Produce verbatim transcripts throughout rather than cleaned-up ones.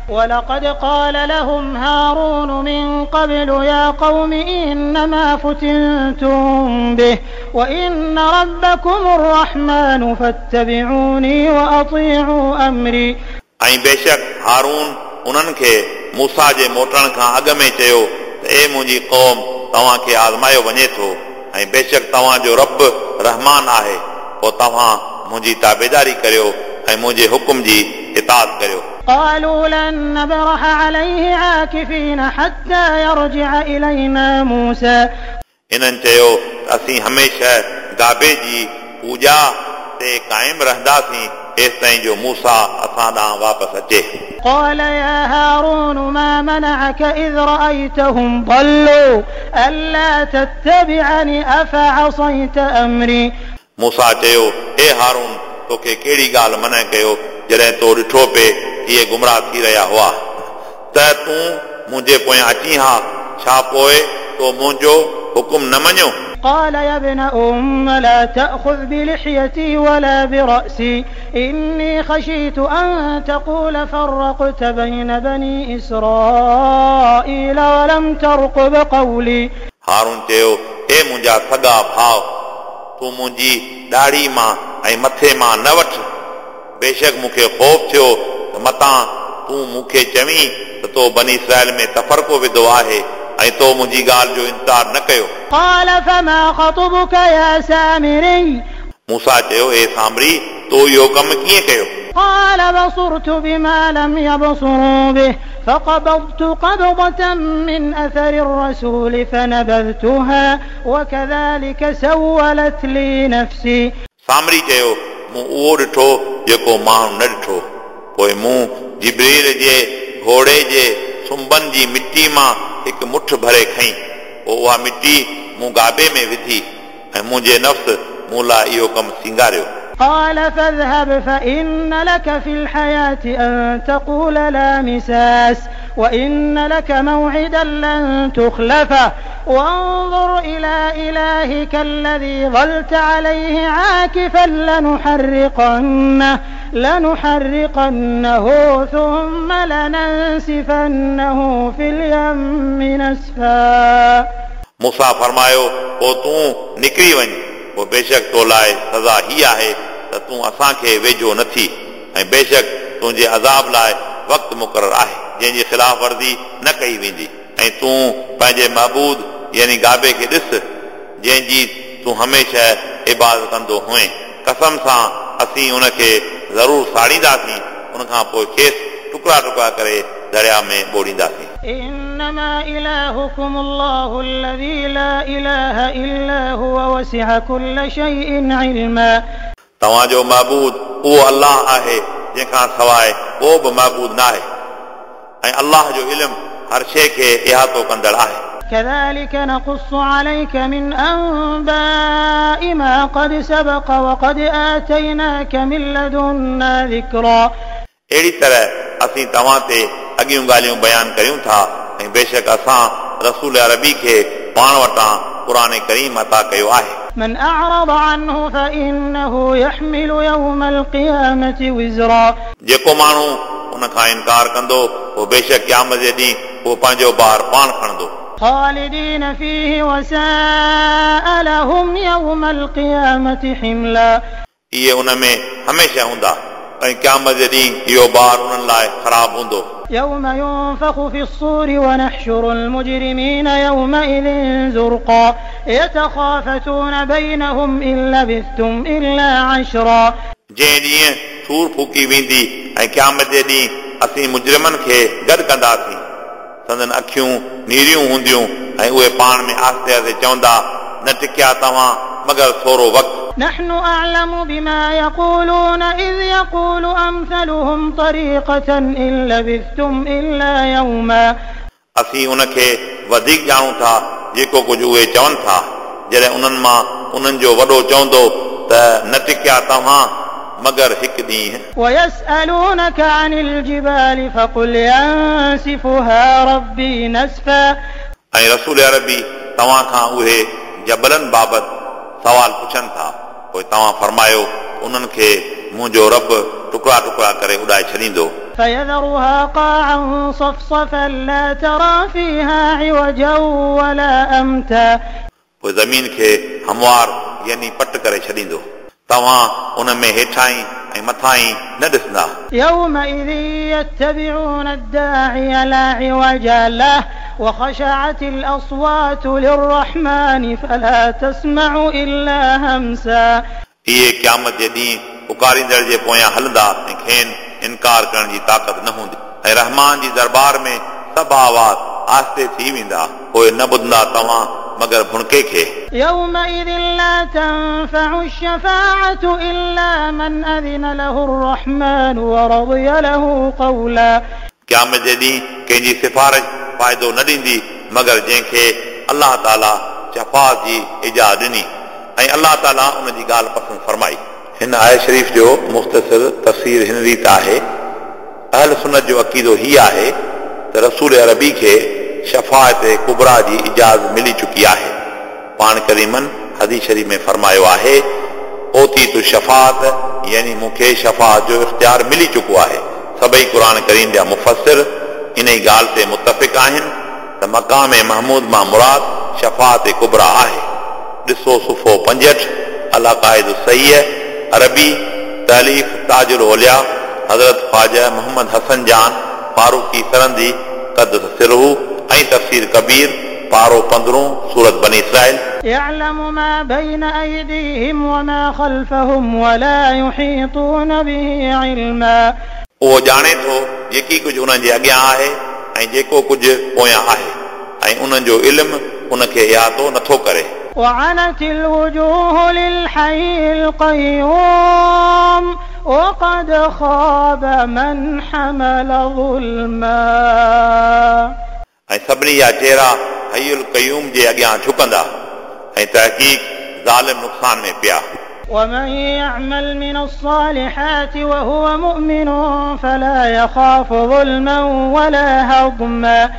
ولقد قال لهم هارون من قبل يا قوم إنما فتنتم به وإن ربكم الرحمن فاتبعوني وأطيعوا أمري. ऐं बेशक हारून उन्हनि खे मूसा जे मोटण खां अॻु में चयो त ए मुंहिंजी क़ौम, तव्हांखे आज़मायो वञे थो ऐं बेशक तव्हांजो रब रहमान आहे, पोइ तव्हां मुंहिंजी ताबेदारी करियो ऐं मुंहिंजे हुकुम जी इताअत करियो। قالوا لن نبرح عليه عاكفين حتى يرجع إلينا موسى. इन्हनि चयो त असीं हमेशह गाबे जी पूॼा ते क़ाइमु रहंदासीं एसिताईं जो मूसा असां ॾांहुं वापसि अचे। قال يا هارون ما منعك إذ رأيتهم ضلوا ألا تتبعني أفعصيت أمري. मूसा चयो, ए हारून, तोखे कहिड़ी ॻाल्हि मना कयो जॾहिं तो ॾिठो पे इहे गुमराह थी रहिया हुआ, त तूं मुंहिंजे पोयां अची हा, छा पोइ तो मुंहिंजो हुकुम न मञियो? قال يا ابن أم لا تأخذ بلحيتي ولا برأسي إني خشيت أن تقول فرقت بين بني إسرائيل ولم ترقب قولي. हारून चयो, ए मुंहिंजा सॻा भाउ, तूं मुंहिंजी ॾाढ़ी मां ऐं मथे मां न वठि, बेशक मूंखे ख़ौफ़ थियो त मतां तूं मूंखे चवीं त तो बनी इसराइल में तफ़रको विधो आहे ऐं तो मुंहिंजी ॻाल्हि जो इंतज़ार न कयो। قال فما خطبك يا سامري؟ मूसा चयो, ए सामरी, तो इहो कमु कीअं कयो? قال بصرت بما لم يبصروا به فقبضت قبضة من أثر الرسول فنبذتها وكذلك سولت لي نفسي. सामरी चयो, मूं उहो ॾिठो जेको माण्हू न ॾिठो, पोइ मूं जिब्रील जे घोड़े जे सुंबनि जी मिटी मां हिकु मुठ भरे खई, पोइ उहा मिटी मूं गाबे में विधी ऐं मुंहिंजे नफ़्स मूं लाइ इहो कमु सींगारियो। قال فاذهب فإن لك في الحياة أن تقول لا مساس وإن لك موعدا لن تخلفه وانظر إلى إلهك الذي ظلت عليه عاكفا لنحرقنه لنحرقنه ثم لننسفنه في اليم نسفا. मूसा फरमायो, पोइ तूं निकिरी वञ, पोइ बेशक तो लाइ सज़ा हीअ आहे त तूं असांखे वेझो न थी, ऐं बेशक तुंहिंजे अज़ाब लाइ वक़्तु मुक़ररु आहे जंहिंजी ख़िलाफ़ वर्ज़ी न कई वेंदी, ऐं तूं पंहिंजे महबूद यानी गाबे खे ॾिस जंहिंजी तूं हमेशह इबादत कंदो हुएं, कसम सां असीं उनखे ज़रूरु साड़ींदासीं, उन खां पोइ खेसि टुकड़ा टुकड़ा करे दरिया में ॿोड़ींदासीं। إنما إلهكم الله الذي لا إله إلا هو وسع كل شيء علما. तव्हांजो महबूद उहो अलाह आहे जंहिंखां सवाइ को बि महबूद न आहे, ऐं अलाह जो इल्मु हर शइ खे इहातो कंदड़ आहे। كذلك نقص عليك من أنباء ما قد سبق وقد آتيناك من لدنا ذكرا. अहिड़ी तरह असीं तव्हां ते अॻियूं ॻाल्हियूं बयानु करियूं था, ऐं बेशक असां रसूल अरबी खे पाण वटां क़ुर करीम अता कयो आहे। من أعرض عنه فإنه يحمل يوم القيامة وزرا. जेको माण्हू उन खां इनकार कंदो उहो बेशक क़यामत जे ॾींहुं उहो पंहिंजो भार पाण खणंदो। خالدين فيه وساء لهم يوم القيامة حملا. इहे उन में हमेशह हूंदा ऐं क़यामत जे ॾींहुं इहो भार उन्हनि लाइ ख़राबु हूंदो। يوم ينفخ في الصور ونحشر المجرمين يومئذ زرقا يتخافتون بينهم إن لبثتم إلا عشرا. जंहिं ॾींहुं सूर फूकी वेंदी ऐं क़यामत जे ॾींहुं असीं मुजरिमनि खे गॾु कंदासीं, संदन अखियूं नीरियूं हूंदियूं ऐं उहे पाण में आहिस्ते आहिस्ते चवंदा, न टिकिया तव्हां मगर थोरो वक़्तु। نحن أعلم بما يقولون إذ يقول أمثلهم طريقة إن لبثتم إلا يوما. असीं उनखे वधीक ॼाणूं था जेको कुझु उहे चवनि था, जॾहिं उन्हनि मां उन्हनि जो वॾो चवंदो त न टिकिया तव्हां मगर हिकु ॾींहुं। ويسألونك عن الجبال فقل ينسفها ربي نسفا. ऐं रसूल अरबी तव्हां खां उहे जबलनि बाबति सवाल पुछनि था, पोइ तव्हां फरमायो उन्हनि खे मुंहिंजो रब टुकड़ा टुकड़ा करे उॾाए छॾींदो। فيذرها قاعا صفصفا لا ترى فيها عوجا ولا أمتا. पोइ ज़मीन खे हमवार यानी पट करे छॾींदो, तव्हां उन में हेठां ऐं मथां न ॾिसंदा। يومئذ يتبعون الداعي لا عوج له وخشعت الأصوات للرحمن فلا تسمع إلا همسا. इहे क़यामत जे ॾींहुं पुकारींदड़ जे पोयां हलंदा ऐं खेनि इनकार करण जी ताक़त न हूंदी ऐं रहमान जी दरबार में सभु आवाज़ आहिस्ते थी वेंदा, पोइ न ॿुधंदा तव्हां मगर भुणके खे। يومئذ لا تنفع الشفاعة إلا من أذن له الرحمن ورضي له قولا. क़यामत जे ॾींहुं कंहिंजी सिफारिश फ़ाइदो न ॾींदी मगर जंहिंखे अलाह ताला शफ़ाअत जी इजाज़त ॾिनी ऐं अलाह ताला उन जी ॻाल्हि पसंदि फरमाई। हिन आयत शरीफ़ जो मुख़्तसिर तफ़सीर हिन रीति आहे। अहल सुन्नत जो अक़ीदो हीउ आहे त रसूल अरबी खे शफ़ाअत कुबरा जी इजाज़त मिली चुकी आहे। पाण करीमन हदीस शरीफ़ में फरमायो आहे, ओती तु शफ़ाअत, यानी मूंखे शफ़ाअत जो इख़्तियार मिली चुको आहे। सभई क़ुर करीम जा मुफ़स्सिर इन ई ॻाल्हि ते मुतफ़िक़ आहिनि त मक़ाम महमूद मां मुराद शफ़ाअत कुबरा आहे। ॾिसो सुफ़ो पंजहठि, अल-अक़ाइद सही अरबी, तालीफ़ ताजुल औलिया हज़रत ख्वाजा मोहम्मद हसन जान फारूकी सरंदी क़द्दस सिरहू ऐं तफ़सीर कबीर पारो पंद्रहों सूरत बनी इसराइल। يعلم ما بين أيديهم وما خلفهم ولا يحيطون به علما. उहो ॼाणे थो जेकी कुझु उन्हनि जे अॻियां आहे ऐं जेको कुझु पोयां आहे ऐं उन्हनि जो इल्मु उनखे इहातो नथो करे। وعنت الوجوه للحي القيوم وقد خاب من حمل ظلما. ऐं सभिनी जा चेहरा हयुल क़यूम जे अॻियां झुकंदा ऐं तहक़ीक़ ज़ालिम नुक़सान में पिया। ومن يعمل من الصالحات وهو مؤمن فلا يخاف ظلما ولا هضما.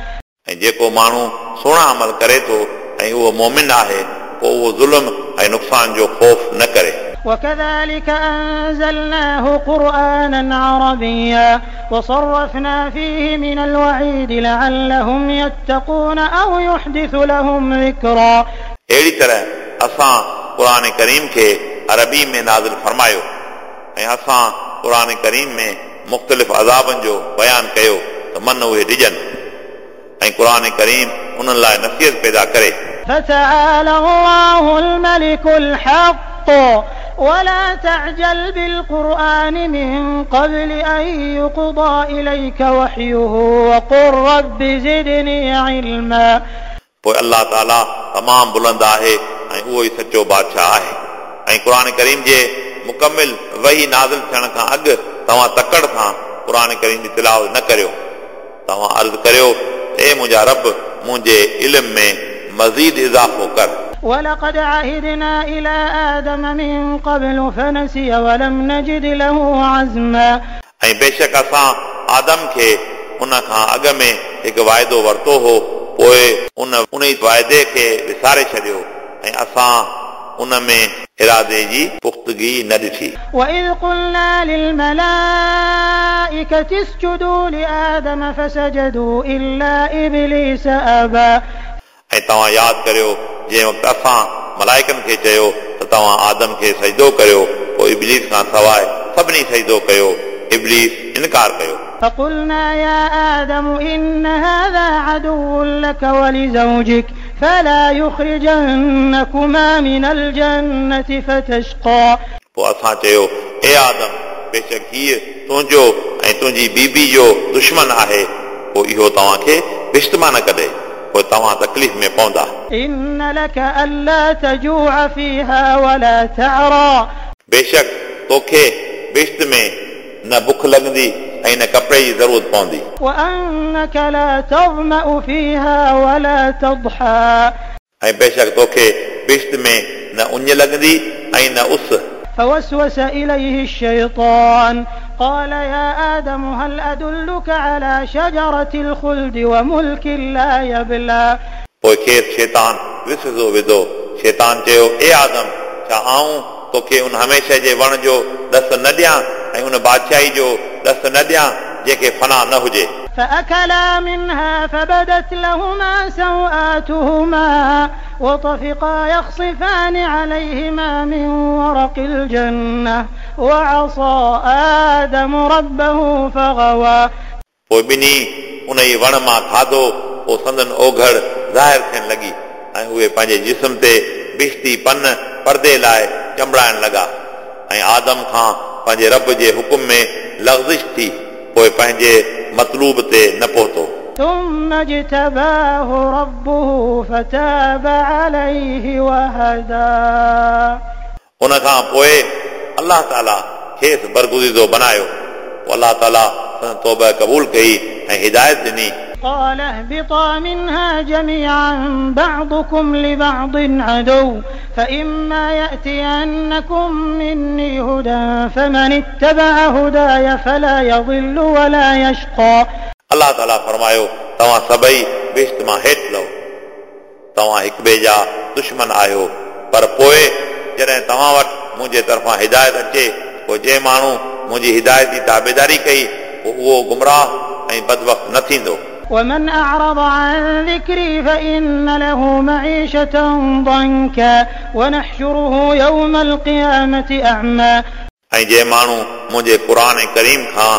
ऐं जेको माण्हू सुहिणा अमल करे थो ऐं उहो मोमिन आहे पोइ उहो ज़ुल्म ऐं नुक़सान जो ख़ौफ़ न करे। وكذلك أنزلناه قرآنا عربيا وصرفنا فيه من الوعيد لعلهم يتقون أو يحدث لهم ذكرا. अहिड़ी तरह असां क़ुर करीम खे अरबी में नाज़िल फरमायो ऐं असां क़ुर करीम में मुख़्तलिफ़ अज़ाबनि जो बयानु कयो त मन उहे ॾिजनि ऐं क़ुर करीम उन्हनि लाइ नसीहत पैदा करे। فتعالى الله الملك الحق ولا تعجل بالقرآن من قبل أن يقضى إليك وحيه وقل رب زدني علما. पोइ अलाह ताला तमामु बुलंद आहे ऐं उहो ई सचो बादशाह आहे ऐं क़ुर करीम जे मुकमिल वही नाज़िल थियण खां अॻु तव्हां तकड़ सां क़ुर करीम जी तिलावत न करियो। तव्हां अर्ज़ु करियो, ए मुंहिंजा रब, मुंहिंजे इल्म में मज़ीद इज़ाफ़ो कर। ولقد عهدنا إلى آدم من قبل فنسي ولم نجد له عزما. ऐं बेशक असां आदम खे उन खां अॻु में हिकु वाइदो वरितो हो, पोइ उन उन ई वाइदे खे विसारे छॾियो ऐं असां उन में इरादे जी पुख़्तगी न ॾिठी। وإذ قلنا للملائكة اسجدوا لآدم فسجدوا إلا إبليس أبى. ऐं तव्हां यादि करियो जंहिं वक़्तु असां मलाइकनि खे चयो त तव्हां आदम खे सजदो करियो, पोइ इब्लीस खां सवाइ सभिनी सजदो कयो, इब्लीस इनकार कयो। فقلنا يا آدم إن هذا عدو لك ولزوجك فلا يخرجنكما من الجنة فتشقى. पोइ असां चयो, ए आदम, बेशक हीअ तुंहिंजो ऐं तुंहिंजी बीबी जो दुश्मन आहे, पोइ इहो तव्हांखे बिश्त मां न कढे, पोइ तव्हां तकलीफ़ में पवंदा। إن لك ألا تجوع فيها ولا تعرى. बेशक तोखे बिश्त में न बुख लॻंदी ऐं न कपिड़े जी ज़रूरत पवंदी। وأنك لا تظمأ فيها ولا تضحى. ऐं बेशक तोखे बिश्त में न उञ लॻंदी ऐं न उस। فوسوس إليه الشيطان قال يا آدم هل أدلك على شجرة الخلد وملك لا يبلى. पोइ खेसि शैतान विसविसो विधो। शैतान चयो, ए आदम, छा आऊं तोखे उन हमेशह जे वण जो ॾस न ॾियां ऐं उन बादशाही जो ॾस न ॾियां जंहिंखे फना न हुजे। فأكلا منها فبدت لهما سوآتهما وطفقا يخصفان عليهما من ورق الجنة وعصى آدم ربه فغوى। पोइ ॿिन्ही उन ई वण मां खाधो, पोइ संदन ओघड़ ज़ाहिर थियणु लॻी ऐं उहे पंहिंजे जिस्म ते बिश्ती पन परदे लाइ चंबड़ाइण लॻा ऐं आदम खां पंहिंजे रब जे हुकुम में लग़ज़िश थी, पोइ पंहिंजे मतलूब ते न पहुतो। ثم اجتباه ربه فتاب عليه وهدى। उन खां पोइ अलाह ताला खेसि बरगुज़ीदो बनायो, पोइ अलाह ताला संदसि तौबा क़बूल कई ऐं हिदायत ॾिनी। قال اهبطا منها جميعا بعضكم لبعض عدو فإما يأتينكم مني هدى فمن اتبع هداي فلا يضل ولا يشقى। अलाह ताला फरमायो, तव्हां सभई बिश्त मां हेठि लहो, तव्हां हिक ॿिए जा दुश्मन आहियो, पर पोइ जॾहिं तव्हां वटि मुंहिंजे तरफ़ां हिदायत अचे, पोइ जंहिं माण्हू मुंहिंजी हिदायत जी ताबेदारी कई, पोइ उहो गुमराह ऐं बदवक़्त न थींदो। ومن أعرض عن ذكري فإن له معيشة ضنكا ونحشره يوم القيامة أعمى। ऐं जंहिं माण्हू मुंहिंजे क़ुर करीम खां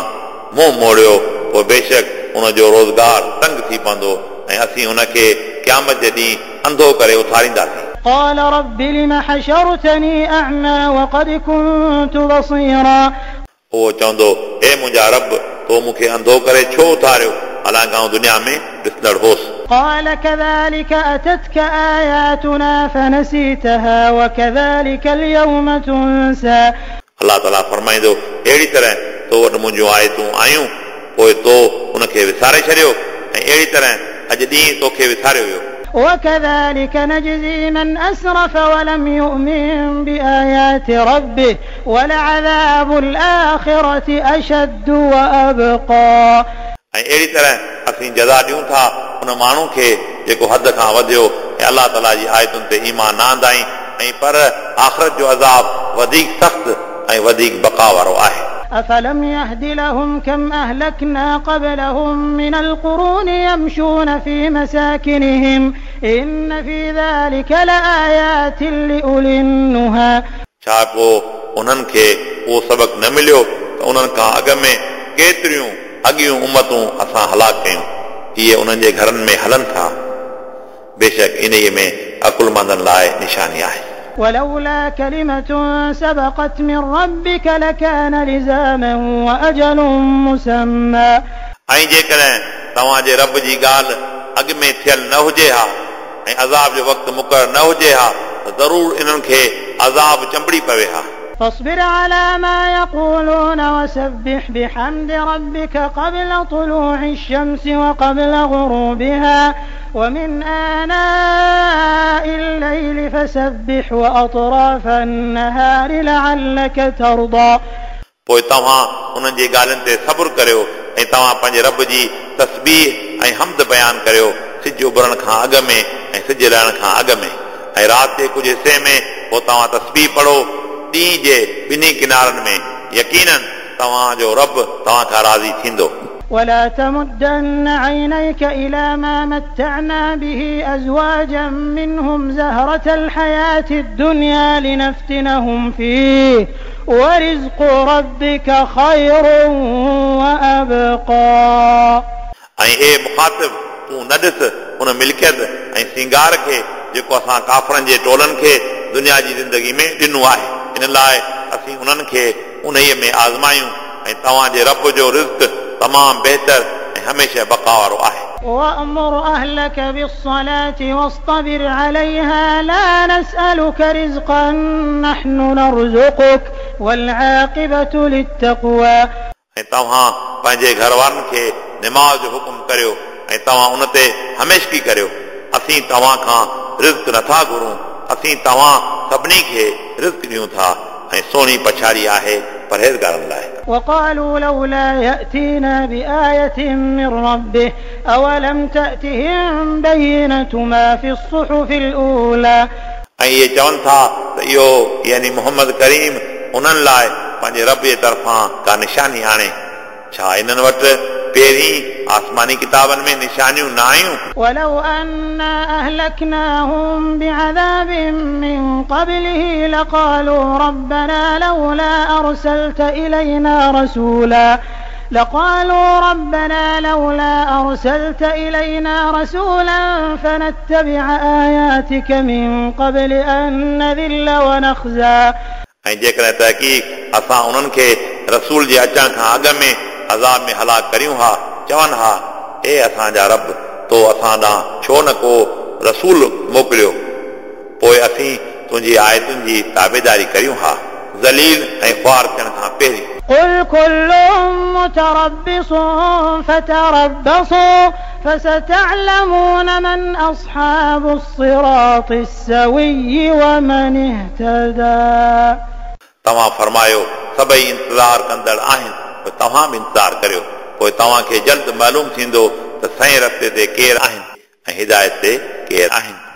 मुंहुं मोड़ियो, पोइ बेशक उनजो रोज़गार तंग थी पवंदो ऐं असीं उनखे क़यामत जे ॾींहुं अंधो करे उथारींदासीं। قال رب لم حشرتني أعمى وقد كنت بصيرا। उहो चवंदो, हे मुंहिंजा रब, तो मूंखे अंधो करे छो उथारियो, हालांकि आउं दुनिया में ॾिसंदड़ होसि। قال كذلك أتتك آياتنا فنسيتها وكذلك اليوم تنسى। अलाह ताला फरमाईंदो, अहिड़ी तरह तो वटि मुंहिंजूं आयतूं आयूं, पोइ तो उनखे विसारे छॾियो ऐं अहिड़ी तरह अॼु ॾींहुं तोखे विसारियो वियो। وكذلك نجزي من أسرف ولم يؤمن بآيات ربه ولعذاب الآخرة أشد وأبقى। ऐं अहिड़ी तरह असीं जज़ा ॾियूं था उन माण्हू खे जेको हद खां वधियो ऐं अलाह ताला जी आयतुनि ते ईमान न आंदाई, ऐं पर आख़िरत जो अज़ाब वधीक सख़्तु ऐं वधीक बक़ा वारो आहे। أفلم يهد لهم كم أهلكنا قبلهم من القرون يمشون في مساكنهم إن في ذلك لآيات لأولي النهى। छा पोइ उन्हनि खे उहो सबक़ न मिलियो त उन्हनि खां अॻु में केतिरियूं अॻियूं उमतूं असां हलाक कयूं, इहे उन्हनि जे घरनि में हलनि था, बेशक इन्हीअ में अकुलमंदनि लाइ निशानी आहे। ولولا كلمة سبقت من ربك لكان لزاما وأجل مسمى। ऐं जेकॾहिं तव्हांजे रब जी ॻाल्हि अॻु में थियल न हुजे हा ऐं अज़ाब जो वक़्तु मुक़ररु न हुजे हा त ज़रूरु इन्हनि खे अज़ाब चंबड़ी पवे हा। فاصبر على ما يقولون وسبح بحمد ربك قبل طلوع الشمس وقبل غروبها ومن آناء الليل فسبح وأطراف النهار لعلك ترضى। पोइ तव्हां उन्हनि जे ॻाल्हियुनि ते सब्र करियो ऐं तव्हां पंहिंजे रब जी तस्बीह ऐं हम्द बयानु करियो सिज उभरण खां अॻु में ऐं सिज लहण खां अॻु में, ऐं राति जे कुझु हिसे में पोइ तव्हां तस्बीह पढ़ो ॾींहं जे ॿिन्ही किनारनि में, यकीनन तव्हांजो रब तव्हां खां राज़ी थींदो। ولا تمدن عينيك إلى ما متعنا به أزواجا منهم زهرة الحياة الدنيا لنفتنهم فيه ورزق ربك خير وأبقى। ऐं हे मुखातिब, तूं न ॾिस उन मिल्कियत ऐं सिंगार खे जेको असां काफ़रनि जे टोलनि खे दुनिया जी ज़िंदगी में ॾिनो आहे, इन लाइ असीं उन्हनि खे उन्हीअ में आज़मायूं ऐं तव्हांजे रब जो रिज़्क तमामु बहितर ऐं हमेशह बक़ा वारो आहे। وأمر أهلك بالصلاة واصطبر عليها لا نسألك رزقا نحن نرزقك والعاقبة للتقوى। ऐं तव्हां पंहिंजे घर वारनि खे नमाज़ जो हुकुम करियो ऐं तव्हां उन ते हमेशगी करियो, असीं तव्हां खां रिज़्क नथा घुरूं, असीं तव्हां सभिनी खे रिज़्क ॾियूं था ऐं सुहिणी पछाड़ी आहे परहेज़गारनि लाइ। وقالوا لولا يأتينا بآية من ربه أولم تأتهم بينة ما في الصحف الأولى। ऐं इहे चवनि था त इहो यानी मोहम्मद करीम उन्हनि लाइ पंहिंजे रब जे तरफ़ां का निशानी आणे, छा इन्हनि वटि पहिरीं आसमानी किताबनि में निशानियूं न आयूं? ولو أنا أهلكناهم بعذاب من قبله لقالوا ربنا لولا أرسلت إلينا رسولا لقالوا ربنا لولا أرسلت إلينا رسولا فنتبع آياتك من قبل أن نذل ونخزى. ऐं जेकॾहिं तहक़ीक़ असां उन्हनि खे रसूल जे अचण खां अॻु में अज़ाब में हलाक करियूं हा, चवनि हा, ए असांजा रब, तो असां ॾांहुं छो न को रसूल मोकिलियो, पोइ असीं तुंहिंजी आयतुनि जी ताबेदारी करियूं हा ज़लील ऐं ख़्वार थियण खां पहिरीं। قل كل متربص فتربصوا فستعلمون من أصحاب الصراط السوي ومن اهتدى. तव्हां फरमायो, सभई इंतज़ार कंदड़ आहिनि, पोइ तव्हां बि इंतज़ार करियो, पोइ तव्हांखे जल्द मालूम थींदो त सही रस्ते ते केरु आहिनि ऐं हिदायत ते केरु आहिनि।